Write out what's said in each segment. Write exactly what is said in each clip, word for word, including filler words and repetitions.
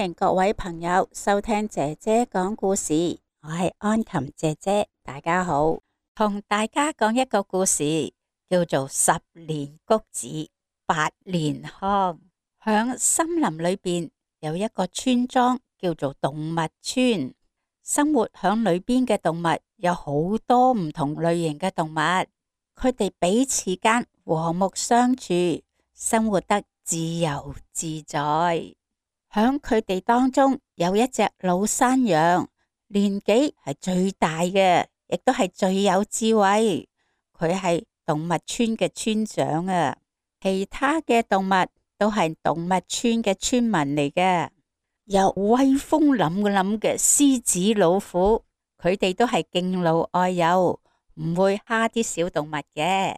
迎各位朋友收聽姐姐講故事，我係安琴姐姐，大家好。同大家講一個故事，叫做十年谷子八年糠。響森林裏邊有一個村莊叫做動物村，生活響裏邊嘅動物有好多唔同類型嘅動物，佢哋彼此間和睦相處，生活得自由自在。響佢哋當中有一隻老山羊，年紀係最大嘅，亦都係最有智慧。佢係動物村嘅村長啊，其他嘅動物都係動物村嘅村民嚟嘅。有威風凜凜嘅獅子、老虎，佢哋都係敬老愛幼，唔會蝦啲小動物嘅。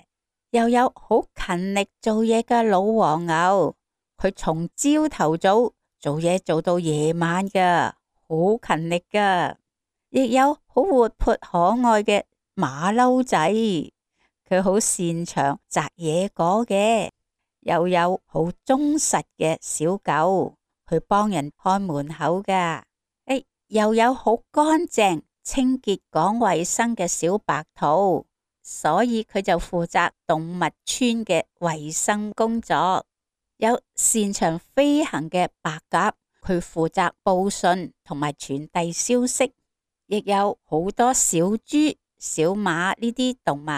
又有好勤力做嘢嘅老黃牛，佢從朝頭早做嘢做到夜晚㗎，好勤力㗎。亦有好活潑可愛嘅馬騮仔，佢好擅長摘野果嘅。又有好忠實嘅小狗，去幫人看門口㗎。誒，又有好乾淨、清潔、講衛生嘅小白兔，所以佢就負責動物村嘅衛生工作。有擅長飛行嘅白鴿，佢負責報信同埋傳遞消息。亦有好多小豬、小馬呢啲動物。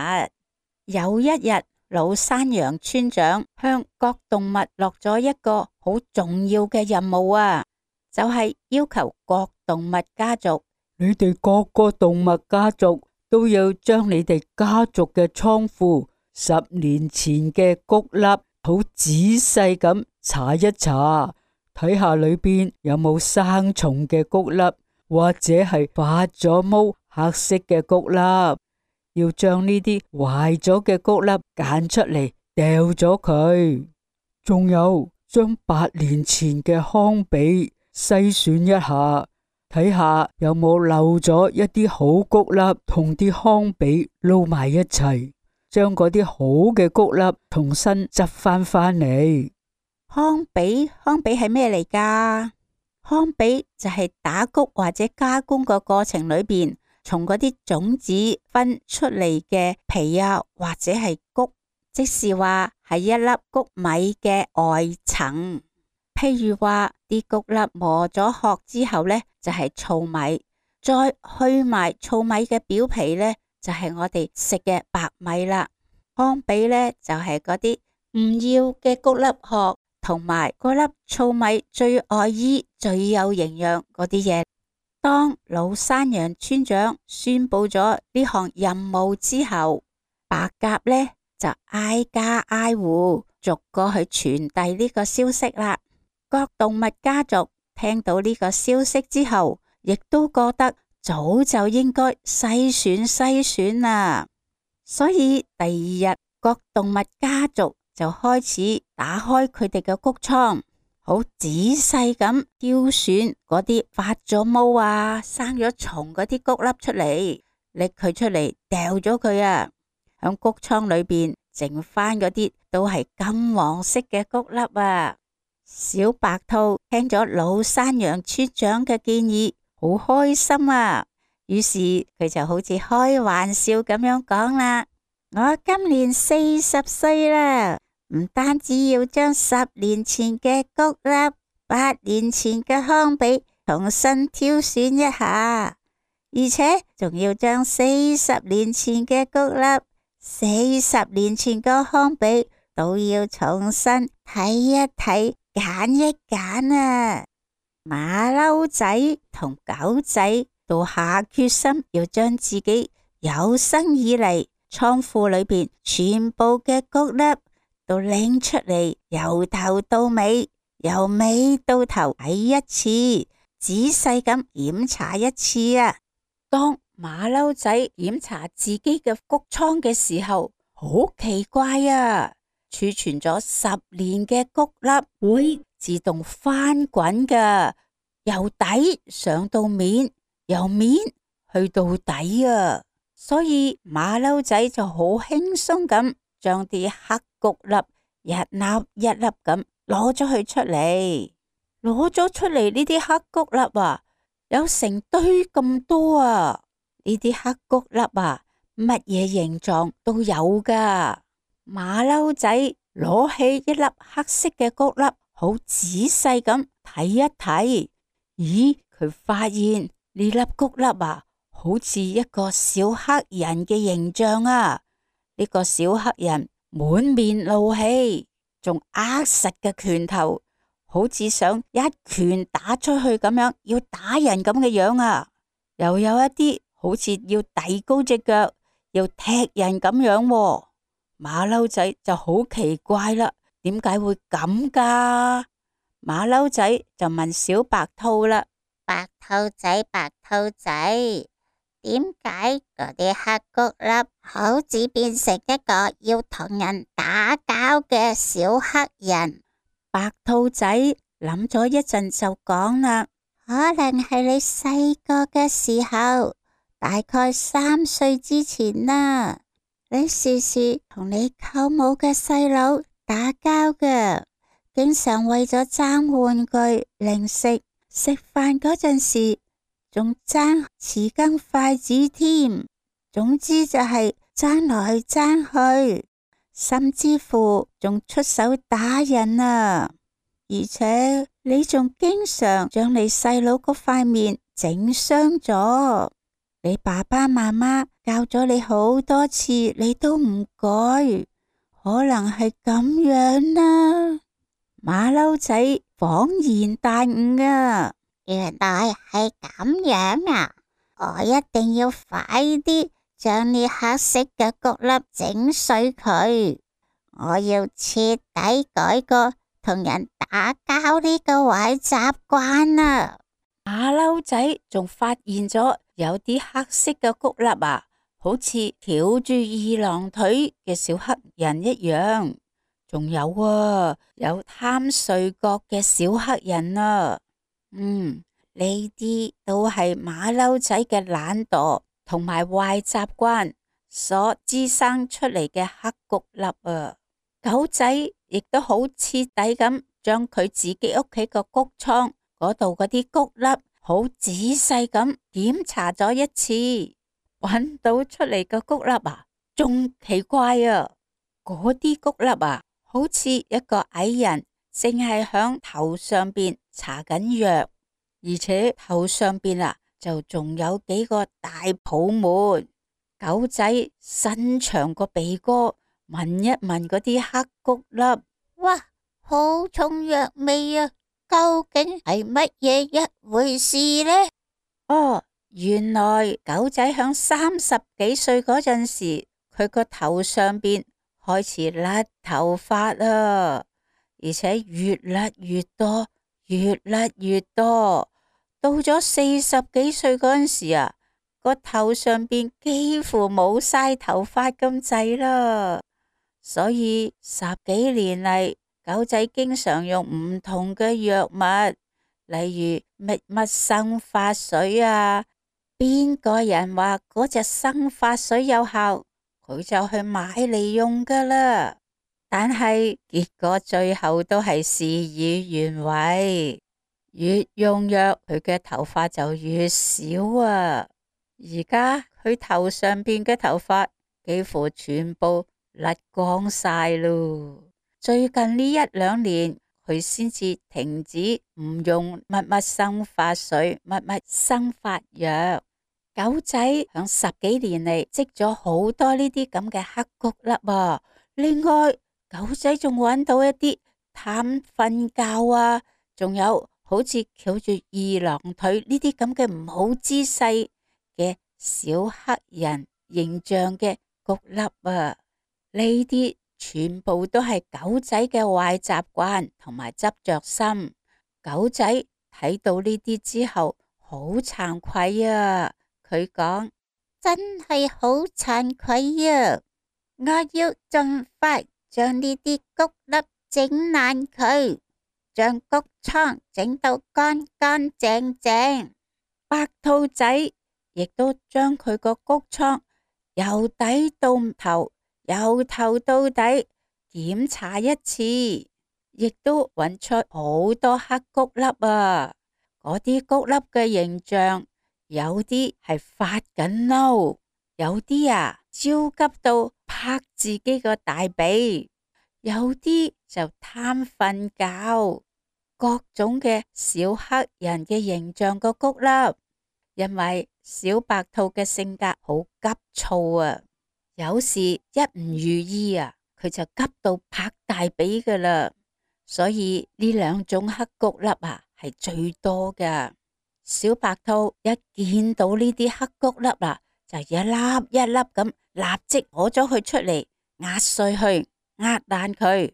有一日，老山羊村長向各動物落咗一個好重要嘅任務啊，就係要求各動物家族，你哋各個動物家族都要將你哋家族嘅倉庫十年前嘅穀粒好仔細咁查一查，睇下裏邊有冇生蟲嘅穀粒，或者係發咗毛黑色嘅穀粒。要將呢啲壞咗嘅穀粒揀出嚟，掉咗佢。仲有將八年前嘅糠秕篩選一下，睇下有冇漏咗一啲好穀粒同啲糠秕撈埋一齊，將嗰啲好嘅穀粒重新執翻翻嚟。糠秕，糠秕係咩嚟㗎？糠秕就係打穀或者加工個過程裏邊，從嗰啲種子分出嚟嘅皮啊，或者係穀，即是話係一粒穀米嘅外層。譬如話啲穀粒磨咗殼之後呢，就係糙米，再去埋糙米嘅表皮呢，就係我哋食嘅白米啦。糠秕呢，就係嗰啲唔要嘅穀粒殼，同埋嗰粒糙米最愛衣、最有營養嗰啲嘢。當老山羊村長宣布咗呢項任務之後，白鴿呢就挨家挨戶逐個去傳遞呢個消息啦。各動物家族聽到呢個消息之後，亦都覺得早就應該篩選篩選啦。所以第二日，各動物家族就開始打開佢哋嘅穀倉，好仔細咁挑選嗰啲發咗毛啊、生咗蟲嗰啲穀粒出嚟，拎佢出嚟掉咗佢啊。響穀倉裏邊剩翻嗰啲都係金黃色嘅穀粒啊。小白兔聽咗老山羊村長嘅建議，好開心啊。於是佢就好似開玩笑咁樣講啦：我今年四十歲啦，唔單止要將十年前嘅穀粒、八年前嘅糠秕重新挑選一下，而且仲要將四十年前嘅穀粒、四十年前嘅糠秕都要重新睇一睇、揀一揀啊！馬騮仔同狗仔都下決心要將自己有生以嚟倉庫裏邊全部嘅穀粒都拎出嚟，由頭到尾，由尾到頭睇一次，仔細咁檢查一次啊！當馬騮仔檢查自己嘅穀倉嘅時候，好奇怪啊！儲存咗十年嘅穀粒會自動翻滾㗎，由底上到面，由面去到底啊！所以馬騮仔就好輕鬆咁將啲黑穀粒一粒一粒咁攞咗佢出嚟。攞咗出嚟呢啲黑谷粒啊，有成堆咁多啊！呢啲黑谷粒啊，乜嘢形狀都有噶。馬騮仔攞起一粒黑色嘅谷粒，好仔細咁睇一睇，咦，佢發現呢粒谷粒啊，好似一個小黑人嘅形象啊！呢個小黑人滿面怒氣，仲握實嘅拳頭，好似想一拳打出去咁樣，要打人咁嘅樣啊！又有一啲好似要遞高隻腳，要踢人咁樣喎。馬騮仔就好奇怪啦，點解會咁噶？馬騮仔就問小白兔啦：白兔仔，白兔仔，點解嗰啲黑谷粒好似變成一個要同人打交嘅小黑人？白兔仔諗咗一陣就講啦：可能係你細個嘅時候，大概三歲之前啦，你時時同你舅母嘅細佬打交嘅，經常為咗爭玩具、零食，食飯嗰陣時仲爭匙羹、筷子添。總之就係爭來爭去，甚至乎仲出手打人啊！而且你仲經常將你細佬嗰塊面整傷咗，你爸爸媽媽教咗你好多次，你都唔改，可能係咁樣啦。馬騮仔恍然大悟啊，原來係咁樣啊！我一定要快啲將呢黑色嘅谷粒整碎佢，我要徹底改過同人打交呢個壞習慣啊！馬騮仔仲發現咗有啲黑色嘅谷粒啊，好似翹住二郎腿嘅小黑人一樣，仲有啊，有貪睡覺嘅小黑人啊。嗯，呢啲都係馬騮仔嘅懶惰同埋壞習慣所滋生出嚟嘅黑谷粒啊。狗仔亦都好徹底咁將佢自己屋企個谷倉嗰度嗰啲谷粒好仔細咁檢查咗一次，揾到出嚟嘅谷粒啊，仲奇怪啊！嗰啲谷粒啊，好似一個矮人淨係響頭上邊搽緊藥，而且頭上邊啊就仲有幾個大泡沫。狗仔伸長個鼻哥聞一聞嗰啲黑谷粒，哇，好重藥味啊！究竟係乜嘢一回事呢？哦，原來狗仔響三十幾歲嗰陣時，佢個頭上邊開始甩頭髮啊，而且越甩越多，越甩越多。到咗四十幾歲嗰陣時啊，個頭上邊幾乎冇晒頭髮咁滯啦。所以十幾年嚟，狗仔經常用唔同嘅藥物，例如乜乜生髮水啊，邊個人話嗰隻生髮水有效，佢就去買嚟用噶啦。但係結果最後都係事與願違，越用藥佢嘅頭髮就越少啊。而家佢頭上邊嘅頭髮幾乎全部甩光晒咯。最近呢一兩年，佢先至停止唔用乜乜生髮水、乜乜生髮藥。狗仔響十幾年嚟積咗好多呢啲咁嘅黑谷粒啊！另外，狗仔仲揾到一啲貪瞓覺啊，仲有好似翹住二郎腿呢啲咁嘅唔好姿勢嘅小黑人形象嘅谷粒啊！呢啲全部都係狗仔嘅壞習慣同埋執着心。狗仔睇到呢啲之後，好慚愧啊！佢講：真係好慚愧啊！我要盡快將呢啲谷粒整爛佢，將谷倉整到乾乾淨淨。白兔仔亦都將佢個谷倉由底到頭，由頭到底檢查一次，亦都揾出好多黑谷粒啊！嗰啲谷粒嘅形象，有啲係發緊嬲，有啲啊焦急到拍自己個大髀，有啲就貪瞓覺，各種嘅小黑人嘅形象個谷粒。因為小白兔嘅性格好急躁啊，有時一唔如意啊，佢就急到拍大髀噶啦。所以呢兩種黑谷粒啊係最多噶。小白兔一見到呢啲黑谷粒啊，就一粒一粒咁立即攞咗佢出嚟，壓碎去，壓爛佢。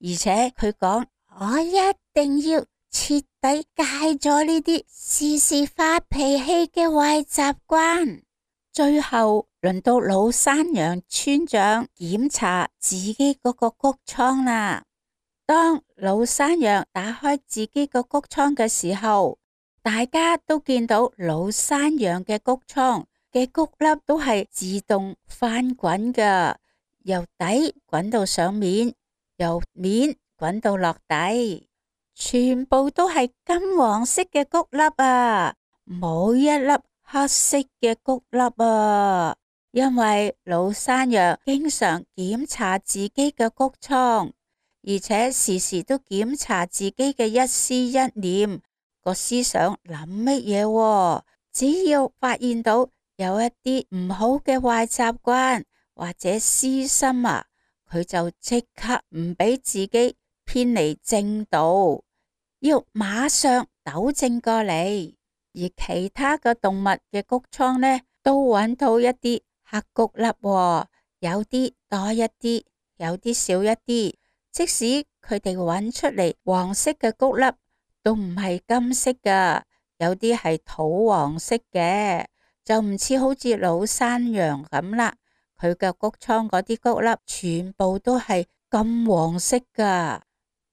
而且佢講：我一定要徹底戒咗呢啲時時發脾氣嘅壞習慣。最後輪到老山羊村長檢查自己嗰個谷倉啦。當老山羊打開自己個谷倉嘅時候，大家都見到老山羊嘅谷倉嘅谷粒都係自動翻滾噶，由底滾到上面，由面滾到落底，全部都係金黃色嘅谷粒啊，冇一粒黑色嘅谷粒啊。因為老山羊經常檢查自己嘅谷倉，而且時時都檢查自己嘅一思一念，個思想諗乜嘢。只要發現到有一啲唔好嘅壞習慣或者私心啊，佢就即刻唔俾自己偏離正道，要馬上糾正過嚟。而其他嘅動物嘅谷倉呢，都揾到一啲黑谷粒，有啲多一啲，有啲少一啲。即使佢哋揾出嚟黃色嘅谷粒，都唔係金色噶，有啲係土黃色嘅，就唔似好似老山羊咁啦。佢嘅谷倉嗰啲谷粒全部都係金黃色噶。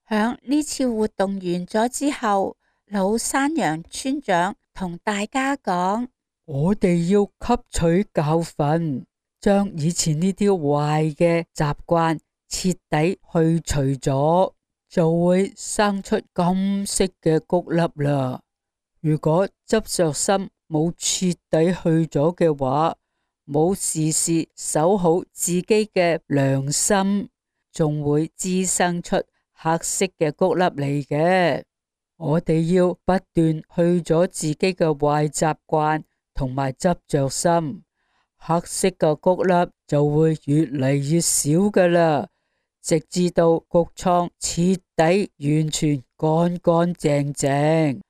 響呢次活動完咗之後，老山羊村長同大家講：我哋要吸取教訓，將以前呢啲壞嘅習慣徹底去除咗，就會生出金色嘅谷粒啦。如果執着心冇徹底去咗嘅話，冇時時守好自己嘅良心，仲會滋生出黑色嘅谷粒嚟嘅。我哋要不斷去咗自己嘅壞習慣同埋執着心，黑色嘅谷粒就會越嚟越少噶啦，直至到谷倉徹底完全乾乾淨淨。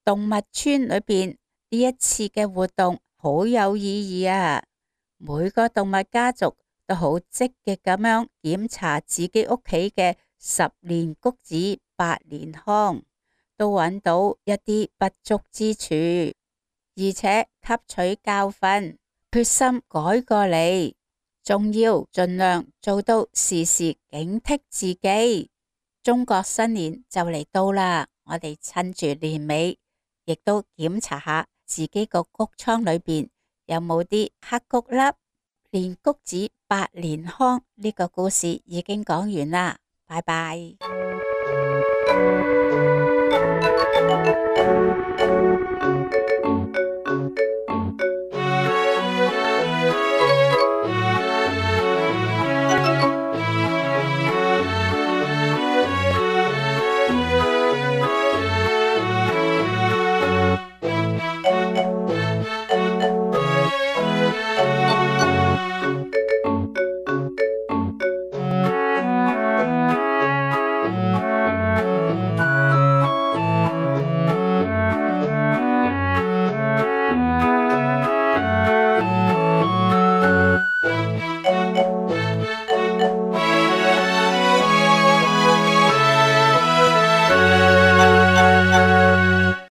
動物村裏邊呢一次嘅活動好有意義啊！每個動物家族都好積極咁樣檢查自己屋企嘅十年穀子百年糠，都揾到一啲不足之處，而且吸取教訓，決心改過嚟，仲要盡量做到時時警惕自己。中國新年就嚟到啦，我哋趁住年尾，亦都檢查下自己個穀倉裏邊有冇啲黑谷粒。年穀子百年糠呢個故事已經講完啦，拜拜。